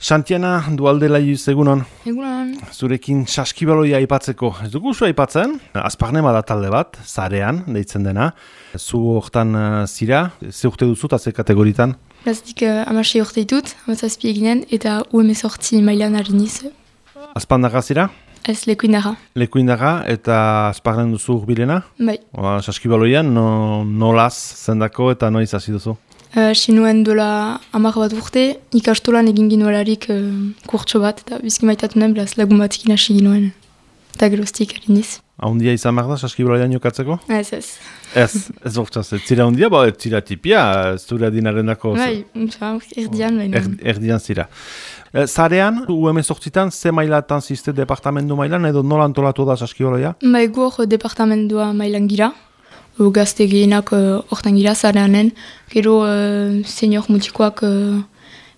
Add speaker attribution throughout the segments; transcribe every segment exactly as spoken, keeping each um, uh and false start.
Speaker 1: Santiana Dualdela Iuz, egunon.
Speaker 2: Egunon.
Speaker 1: Zurekin saskibaloia aipatzeko. Ez dugu zu aipatzen, Azparnema da talde bat, zarean, deitzen dena. Zu hortan uh, zira, ze urte duzu eta ze kategoritan?
Speaker 2: Plazik uh, amasei urte ditut, amazazpi eginen, eta U M sortzi mailan hariniz.
Speaker 1: Azpandaga zira?
Speaker 2: Ez lekuindaga.
Speaker 1: Lekuindaga eta Azparnen duzu urbilena?
Speaker 2: Bai.
Speaker 1: Oa, saskibaloian, no, nolaz zendako eta noiz hasi duzu?
Speaker 2: Uh, Sinuen dola hamar bat urte, ikastolan egin ginuelarik uh, kurtso bat, eta bizki maitatu nuen, beraz lagun batekin hasi ginuen. Eta geroztik hariniz.
Speaker 1: Ahondia izan behar da, saskibaloian jokatzeko?
Speaker 2: Ez, ez.
Speaker 1: Ez, ez bortzaz, ez zira ahondia, ba, ez zira tipia, ez zure dinaren dako.
Speaker 2: Bai, erdian baina.
Speaker 1: Er, erdian zira. E, zarean, U M sortzitan, ze mailatan ziste departamendu mailan, edo nola antolatu da saskibaloia?
Speaker 2: Bai, gu hor departamendua mailan gira. Gazte gehienak hortan uh, gira, zareanen. Gero uh, senior mutikoak uh,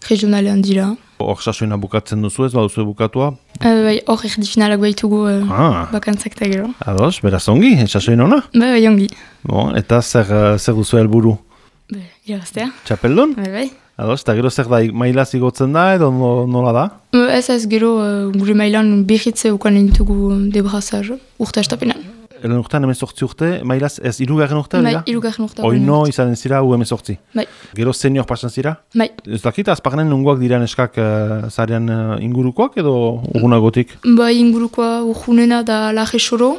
Speaker 2: regionalean dira.
Speaker 1: Hor sasoina bukatzen duzu ez, baduzu bukatua?
Speaker 2: Uh, bai, hor erdi finalak baitugu uh,
Speaker 1: ah.
Speaker 2: bakantzak eta gero.
Speaker 1: Ados, beraz ongi, sasoin hona?
Speaker 2: Bai, bai, ongi.
Speaker 1: Bon, eta zer, zer duzu helburu?
Speaker 2: Bai, irabaztea.
Speaker 1: Txapeldun?
Speaker 2: Bai, bai.
Speaker 1: Ados, eta gero zer da, maila zigotzen da edo nola da?
Speaker 2: Uh, ez ez, gero uh, gure mailan behitze ukanen ditugu debrazar urte estapenan.
Speaker 1: Elen urtean emezortzi urte, mailaz ez irugarren urte?
Speaker 2: Bai, irugarren urte.
Speaker 1: Oino izan zira U emezortzi.
Speaker 2: Bai.
Speaker 1: Gero senior pasan zira?
Speaker 2: Bai.
Speaker 1: Ez dakit, azparnen nungoak dira neskak uh, zarean uh, ingurukoak edo urgunagotik?
Speaker 2: Bai, ingurukoa urgunena da laje soro,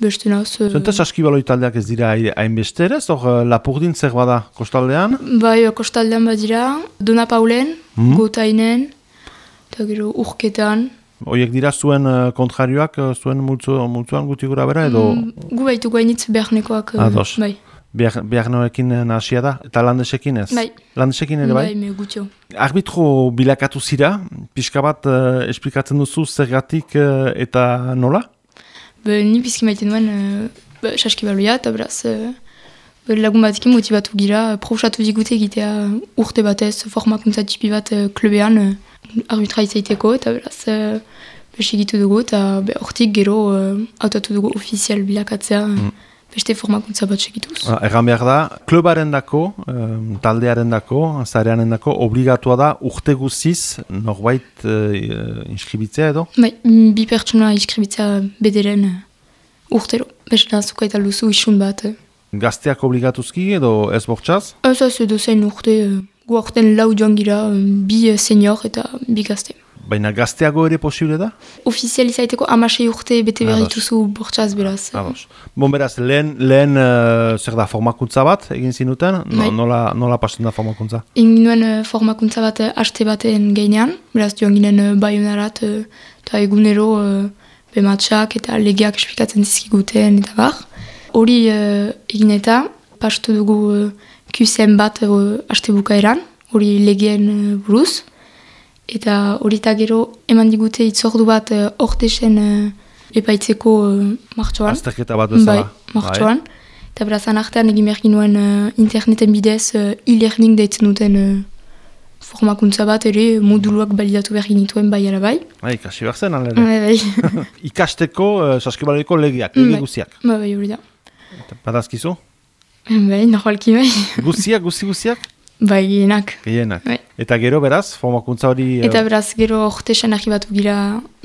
Speaker 2: beste naz. Uh...
Speaker 1: Zenta saskibaloi taldeak ez dira hainbesterez, hor uh, Lapurdin zer bada kostaldean?
Speaker 2: Bai, kostaldean badira, Dona Paulen, mm. Gotainen, eta gero urketan.
Speaker 1: Oiek dira zuen uh, kontrarioak, uh, zuen multzu, multzuan guti gura bera edo?
Speaker 2: Mm, gu baitu gainitz beharnekoak. Uh,
Speaker 1: Ados.
Speaker 2: Bai.
Speaker 1: Beharnekoekin nahasia da, eta landesekin ez?
Speaker 2: Bai.
Speaker 1: Landesekin ere bai?
Speaker 2: Bai, me gutio.
Speaker 1: Arbitro bilakatu zira, pixka bat uh, esplikatzen duzu zergatik uh, eta nola?
Speaker 2: Be, ni bizki maiten duen uh, saskibaloia, eta beraz uh, lagun batekin motibatu gira, uh, profusatu digute egitea urte batez, formakuntza tipi bat uh, klubean, uh, arbitra izaiteko, eta beraz uh, besigitu dugu, eta hortik gero uh, autatu dugu ofizial bilakatzea, mm. beste formakuntza bat segituz.
Speaker 1: Ah, erran behar da, klubaren dako, um, taldearen dako, zareanen dako, obligatua da urte guziz norbait uh, inskribitzea edo?
Speaker 2: Bai, bi pertsona inskribitzea bederen uh, urtero. Beste zuka eta luzu isun bat. Uh.
Speaker 1: Gazteak obligatuzki edo ez bortxaz?
Speaker 2: Ez ez edo zein urte, uh, gu orten lau joan gira, uh, bi senior eta bi gazte.
Speaker 1: Baina gazteago ere posible da?
Speaker 2: Ofizializaiteko amasei urte bete behar dituzu bortxaz beraz.
Speaker 1: Ados. Bon, beraz, lehen, lehen uh, zer da formakuntza bat egin zinuten? No, nola, nola pasten da formakuntza? Egin
Speaker 2: nuen uh, formakuntza bat uh, haste baten gainean, beraz joan ginen uh, baionarat eta uh, egunero uh, bematxak eta legeak esplikatzen dizkiguten eta bar. Hori uh, egin eta pastu dugu uh, Q C M bat uh, haste bukaeran, hori legeen uh, buruz. Eta horita gero eman digute itzordu bat hortesen uh, uh, epaitzeko uh, martxoan.
Speaker 1: Azterketa bat bezala.
Speaker 2: Bai, martxoan. Eta berazan artean egin behar ginuen uh, interneten bidez uh, e-learning deitzen duten uh, formakuntza bat ere moduluak balidatu behar ginituen bai ala bai.
Speaker 1: Bai, ikasi behar zen, alere.
Speaker 2: Bai, bai.
Speaker 1: Ikasteko uh, saskibaloiko legeak, lege guziak.
Speaker 2: Bai, bai, hori da.
Speaker 1: Badazkizu?
Speaker 2: Bai, nahualki bai.
Speaker 1: Guziak, guzi guziak?
Speaker 2: Bai, gehienak.
Speaker 1: Gehienak.
Speaker 2: Bai.
Speaker 1: Eta gero beraz, formakuntza hori...
Speaker 2: Eta beraz, gero hortesan arribatu gira,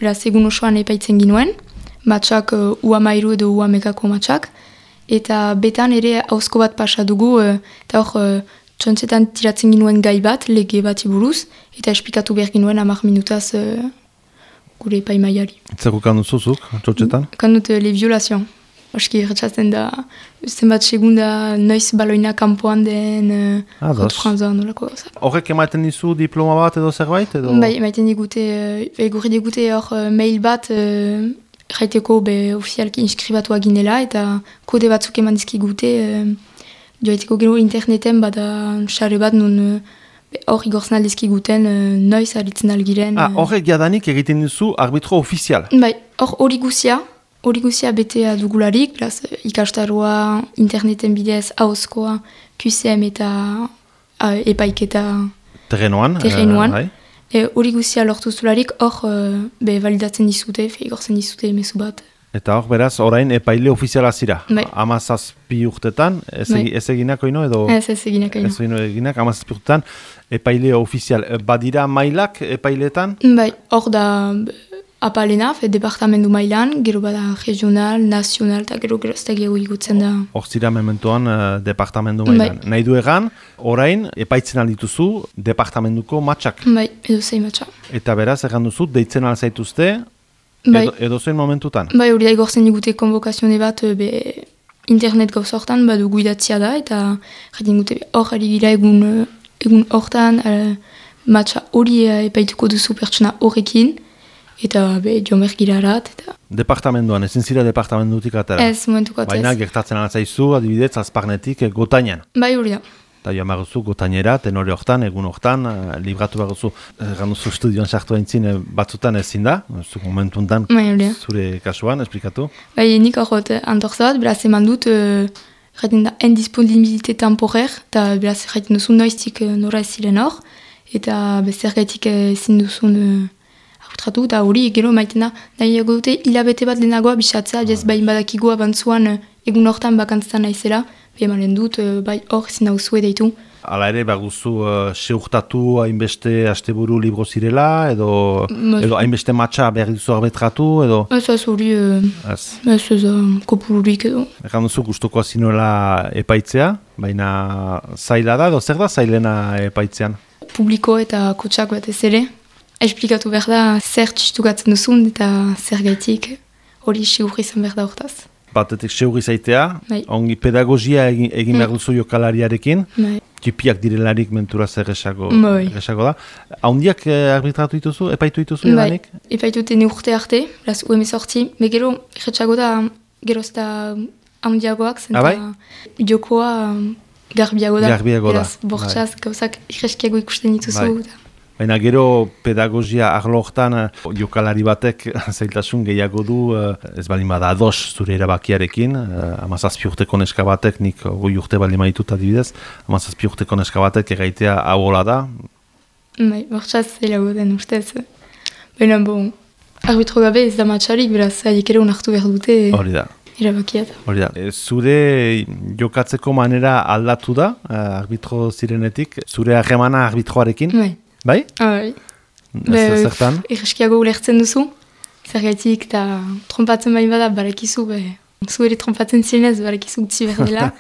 Speaker 2: beraz, egun osoan epaitzen ginuen, matxak uh, uamairu edo uamekako matxak, eta betan ere hauzko bat pasa dugu, uh, eta hor, uh, txontzetan tiratzen ginuen gai bat, lege bat iburuz, eta esplikatu behar ginuen amak minutaz uh, gure epaimaiari.
Speaker 1: Zer ukan duzuzuk, txontzetan?
Speaker 2: Ukan dut uh, le violazioan. Oski retxatzen da, zenbat segunda noiz baloina kanpoan den uh, Hot Franzan nolako.
Speaker 1: Horrek ematen dizu diploma bat edo zerbait? Edo...
Speaker 2: Bai, ematen digute, uh, egurri digute hor uh, mail bat, uh, jaiteko be ofizialki inskribatu aginela, eta kode batzuk eman dizkigute, uh, joaiteko gero interneten bada xare bat nun hor uh, igortzen aldizkiguten uh, noiz aritzen algiren.
Speaker 1: Ah, horrek uh, jadanik egiten duzu arbitro ofizial?
Speaker 2: Bai, hor hori guzia. Hori guzia betea dugularik, plaz, ikastaroa, interneten bidez, hauzkoa, Q C M eta uh, epaiketa
Speaker 1: terrenoan.
Speaker 2: Terrenoan.
Speaker 1: Uh,
Speaker 2: Hori guzia lortu zularik, hor uh, be validatzen dizute, fe igortzen dizute emezu bat.
Speaker 1: Eta hor, beraz, orain epaile ofiziala zira.
Speaker 2: Bai.
Speaker 1: Amazazpi urtetan, ez,
Speaker 2: Bai.
Speaker 1: ez eginak oino edo...
Speaker 2: Ez ez eginak
Speaker 1: Ez oino eginak, amazazpi urtetan, epaile ofizial. Badira mailak epailetan?
Speaker 2: Bai, hor da apalena, fe departamendu mailan, gero bada regional, nazional, eta gero geroztagio igutzen da.
Speaker 1: Hor zira mementoan uh, departamendu mailan.
Speaker 2: Bai.
Speaker 1: Nahi du egan, orain, epaitzen aldituzu departamentuko matxak.
Speaker 2: Bai, edo zei matxa.
Speaker 1: Eta beraz, egan duzu, deitzen alzaituzte,
Speaker 2: Bai.
Speaker 1: edo, edo zoin momentutan.
Speaker 2: Bai, hori da igortzen digute konvokazione bat, be, internet gauz hortan, badu guidatzia da, eta jaten digute hor ari gira egun, egun hortan, uh, matxa hori uh, epaituko duzu pertsona horrekin, eta be, jomer girarat, eta...
Speaker 1: Departamenduan, ezin zira departamendutik atera.
Speaker 2: Ez, momentuko atzez.
Speaker 1: Baina gertatzen altzaizu, adibidez, azparnetik eh, gotainan.
Speaker 2: Bai, hori da.
Speaker 1: Eta joan baguzu gotainera, tenore hortan, egun hortan, uh, libratu baguzu, egan duzu studioan sartu haintzin uh, batzutan ezin da, zu momentuntan
Speaker 2: Bai, hori da.
Speaker 1: zure kasuan, esplikatu.
Speaker 2: Bai, nik hor antortzat, beraz eman dut, uh, jaten da, indisponibilite temporer, eta beraz jaten duzu noiztik uh, nora ez ziren hor, eta bezer gaitik uh, ezin duzun uh, arbitratu, eta hori gero maiten da, nahiago dute hilabete bat lehenagoa bisatzea, jaz bain badakigu abantzuan uh, egun hortan bakantzatan naizela, emanen dut, uh, bai hor ezin dauzue deitu.
Speaker 1: Hala ere, baguzu uh, seurtatu hainbeste asteburu libro zirela, edo,
Speaker 2: Mas...
Speaker 1: edo hainbeste matxa behar duzu arbitratu, edo...
Speaker 2: Ez ez hori, uh,
Speaker 1: Ez.
Speaker 2: ez ez uh, kopururik edo.
Speaker 1: Egan duzu gustukoa zinuela epaitzea, baina zaila da, edo zer da zailena epaitzean?
Speaker 2: Publiko eta kotxak batez ere, esplikatu behar da zer txistukatzen duzun eta zer gaitik hori sigur izan behar da hortaz.
Speaker 1: Batetik seurri zaitea,
Speaker 2: Bai.
Speaker 1: ongi pedagogia egin, egin behar
Speaker 2: Mm.
Speaker 1: duzu jokalariarekin,
Speaker 2: Bai.
Speaker 1: tipiak direlarik mentura zer esago,
Speaker 2: Bai.
Speaker 1: esago da. Haundiak eh, arbitratu dituzu, epaitu dituzu
Speaker 2: Bai,
Speaker 1: edanik?
Speaker 2: epaitute ne urte arte, beraz U M sorti, me gero erretxago da geroz da handiagoak, zen
Speaker 1: Ah, bai?
Speaker 2: jokoa garbiago da.
Speaker 1: Garbiago da,
Speaker 2: Beraz, bortxaz, gauzak irreskiago ikusten dituzu.
Speaker 1: Bai.
Speaker 2: Da.
Speaker 1: Baina gero pedagogia arlo hortan eh, jokalari batek zailtasun gehiago du, eh, ez balin bada ados zure erabakiarekin, eh, amazazpi urteko neska batek, nik goi urte balin maitut adibidez, amazazpi urteko neska batek egaitea hau hola da.
Speaker 2: Bai, bortxaz zelago den ustez. Baina, bon, arbitro gabe ez da matxarik, beraz, haiek ere unartu behar dute
Speaker 1: Hori da.
Speaker 2: erabakiat.
Speaker 1: Hori da. E, zure jokatzeko manera aldatu da, eh, arbitro zirenetik, zure harremana arbitroarekin,
Speaker 2: Bai.
Speaker 1: bai?
Speaker 2: Ah, bai.
Speaker 1: Ez zertan?
Speaker 2: Irreskiago ulertzen duzu, zergaitik eta trompatzen bain bada, barakizu, be, zu ere trompatzen zirenez, barakizu gutzi behar dela.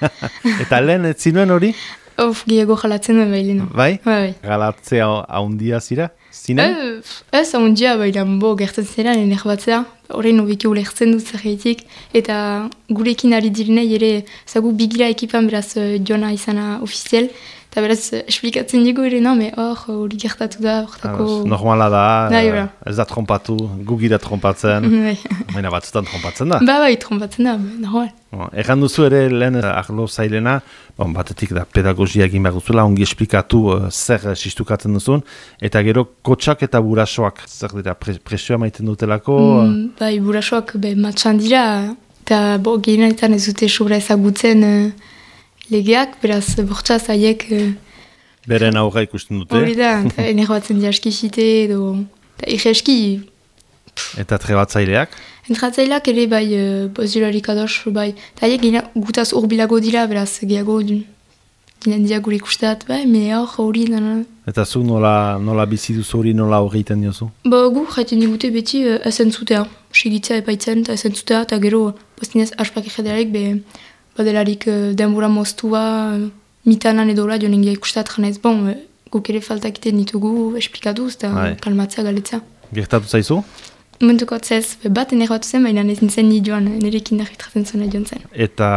Speaker 1: Eta lehen ez zinuen hori?
Speaker 2: Of, gehiago jalatzen duen bai lehenu.
Speaker 1: Bai?
Speaker 2: Bai,
Speaker 1: Galatzea haundia zira?
Speaker 2: bai.
Speaker 1: Zinen?
Speaker 2: Eh, Ez, ahondia, bailan, bo, gertzen zera, nire batzea, horrein hobeki ulertzen dut zergaitik, eta gurekin ari direnei ere, zagu bigira ekipan beraz uh, jona izana ofizial, eta beraz, uh, esplikatzen digu ere, no, me hor, hori gertatu da, hortako...
Speaker 1: Ados, normala da,
Speaker 2: Bai,
Speaker 1: eh,
Speaker 2: hola.
Speaker 1: ez da trompatu, gugira trompatzen,
Speaker 2: Bai,
Speaker 1: baina batzutan trompatzen da.
Speaker 2: ba, bai, trompatzen da, ba, normal.
Speaker 1: Bon, Erran duzu ere lehen eh, arlo zailena, bon, batetik da pedagogia egin behar duzula, ongi esplikatu uh, zer uh, sistukatzen duzun, eta gero kotxak eta burasoak, zer dira, pre presioa maiten dutelako,
Speaker 2: Mm, bai, burasoak be, matxan dira, eta bo, gehienetan ez dute sobra ezagutzen uh, legeak, beraz, bortxaz haiek uh,
Speaker 1: beren aurra ikusten dute,
Speaker 2: hori da, eta enerbatzen dira eskisite, edo, eta irreski,
Speaker 1: eta trebatzaileak.
Speaker 2: entratzaileak ere bai, uh, bozularik ados, bai, eta haiek gehien gutaz urbilago dira, beraz, gehiago, ginen dira gure ikustat, bai, me hor, hori, dana.
Speaker 1: Eta zu nola, nola bizi duzu hori, nola horri iten diozu?
Speaker 2: Ba, gu, jaiten digute beti uh, esen zutea, segitzea epaitzen, eta esen zutea, eta gero, postinez, aspak egedelarek, be, badelarik uh, denbora moztua, uh, mitanan edola, joan ingia ikustat, janez, bon, uh, guk ere faltak iten ditugu, esplikatuz, eta
Speaker 1: Bai.
Speaker 2: kalmatzea, galetzea.
Speaker 1: Gertatu zaizu?
Speaker 2: Momentuko atzez, be, bat enerbatu zen, baina ez nintzen ni joan, nerekin arbitratzen zuen joan zen.
Speaker 1: Eta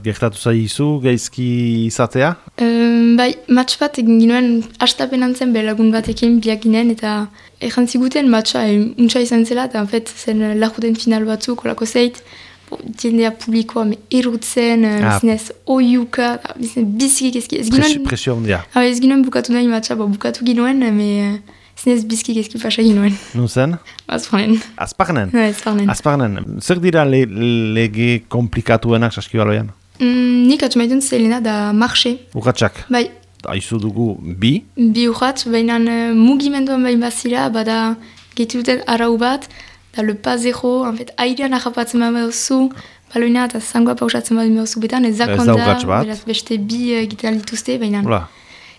Speaker 1: gertatu zaizu, gaizki izatea?
Speaker 2: Um, bai, match bat egin ginuen hastapenan zen belagun batekin biak ginen, eta erran ziguten matcha e, untsa izan zela, eta en fet, zen lajuten final batzuk, olako zeit, bo, jendea publikoa me erutzen,
Speaker 1: Ah.
Speaker 2: zinez oiuka, zinez bizkik ezki, ez
Speaker 1: Presio,
Speaker 2: ginoen,
Speaker 1: presio handia.
Speaker 2: ah, ez ginoen bukatu nahi matcha, bo, bukatu ginoen, me zinez bizkik ezki pasa ginoen.
Speaker 1: Nun zen?
Speaker 2: Azparnen.
Speaker 1: Azparnen?
Speaker 2: Azparnen.
Speaker 1: Azparnen. Zer dira le, lege komplikatuenak saskibaloian?
Speaker 2: Mm, nik atxamaitun zelena da marxe,
Speaker 1: Urratxak.
Speaker 2: bai,
Speaker 1: Aizu dugu bi,
Speaker 2: bi urratz, baina uh, mugimenduan bain bazira, bada gehitu duten arau bat, eta le pas zero, en fait, airean ahapatzen baduzu, baloina eta zangoa pausatzen baduzu betan, ez da konta, beraz beste bi egiten dituzte, baina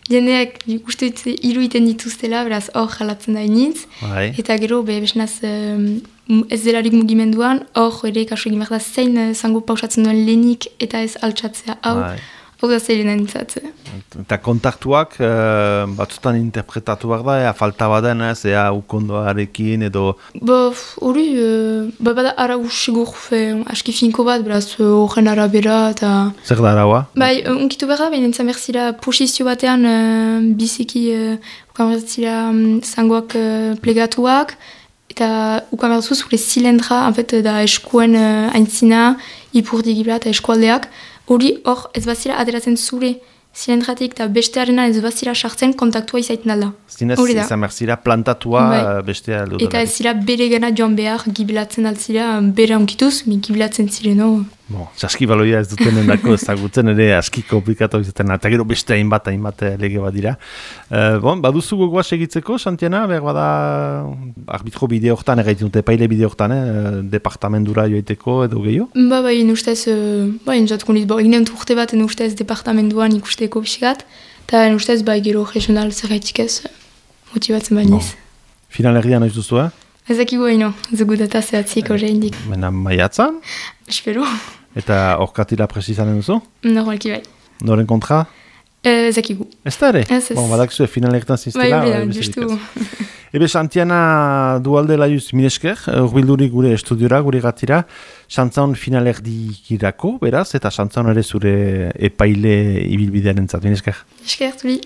Speaker 2: jendeak uste hiru iten dituztela, beraz hor jalatzen da initz, eta gero be besnaz ez delarik mugimenduan, hor ere kasu egin behar da zein zango pausatzen duen lehenik eta ez altxatzea hau, hau da zeilen entzatze.
Speaker 1: Eta kontaktuak uh, batzutan interpretatu behar da, ea falta baden ez, ea ukondoarekin edo...
Speaker 2: Ba, hori, uh, ba, bada arau sigur, aski finko bat, beraz, horren arabera eta...
Speaker 1: Zer da araua?
Speaker 2: Bai, unkitu behar da, baina entzan berzira posizio batean uh, biziki, uh, ukan berzira um, zangoak uh, plegatuak, eta ukan berzu zure zilendra, en fait, da eskuen uh, aintzina, ipurdikibla eta eskualdeak, hori hor ez bazira ateratzen zure zilendratik eta bestearena ez bazira sartzen kontaktua izaiten alda.
Speaker 1: Zinez, izan berzira plantatua bai. Bestea aldo.
Speaker 2: Eta ez zira bere gana joan behar gibilatzen altzira bere onkituz, mi gibilatzen zireno.
Speaker 1: Bon, saski baloia ez duten endako ezagutzen ere aski komplikatu izaten, eta gero beste hainbat hainbat lege bat dira. Uh, bon, baduzu gogoa segitzeko, Santiana, behar bada arbitro bide horretan, egaitin dute paile bide horretan, eh, departamendura joiteko edo gehiago?
Speaker 2: Ba, ba, inustez, uh, ba, inuzatko niz, bo, eginen urte bat, inustez departamenduan ikusteko pixkat, eta inustez, ba, gero regional zerraitik ez motibatzen bainiz.
Speaker 1: Bon. Finalerdia noiz duzu, eh?
Speaker 2: Ezakigu haino, zugu data zehatzik horre indik.
Speaker 1: Mena maiatzan?
Speaker 2: Espero.
Speaker 1: Eta orkatila presizanen duzu?
Speaker 2: Normalki bai.
Speaker 1: Noren kontra?
Speaker 2: Ezakigu.
Speaker 1: Ez da ere?
Speaker 2: Ez ez.
Speaker 1: Bon, badakzu finalertan ziztela.
Speaker 2: Bai, bai, justu.
Speaker 1: Ebe, Santiana dualde laiuz minesker, urbildurik gure estudiora, gure gatira, xantzan finalerdikirako, beraz, eta xantzan ere zure epaile ibilbidearen zat, minesker.
Speaker 2: Esker, tuli.